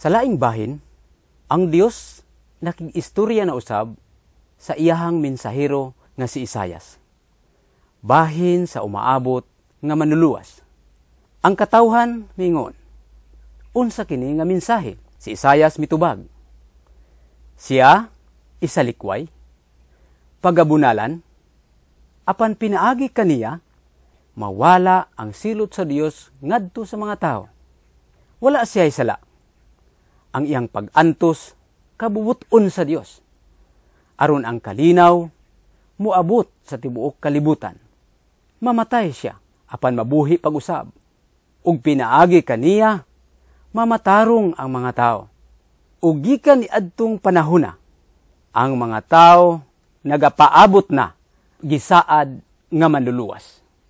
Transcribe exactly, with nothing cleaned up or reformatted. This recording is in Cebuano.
Sa laing bahin, ang Dios nakig-istorya na usab sa iyahang mensahero nga si Isayas. Bahin sa umaabot nga manluluwas. Ang katawhan miingon, "Unsa kini nga mensahe?" Si Isayas mitubag. Siya isalikway, pagabunalan, apan pinaagi kaniya mawala ang silot sa Dios ngadto sa mga tao. Wala siya sala. Ang iyang pag-antos kabubut-on sa Dios. Aron ang kalinaw muabot sa tibuok kalibutan. Mamatay siya apan mabuhi pag-usab. Ug pinaagi kaniya mamatarong ang mga tao. Ug gikan niadtong panahona, ang mga tao nagapaabot na gisaad nga manluluwas.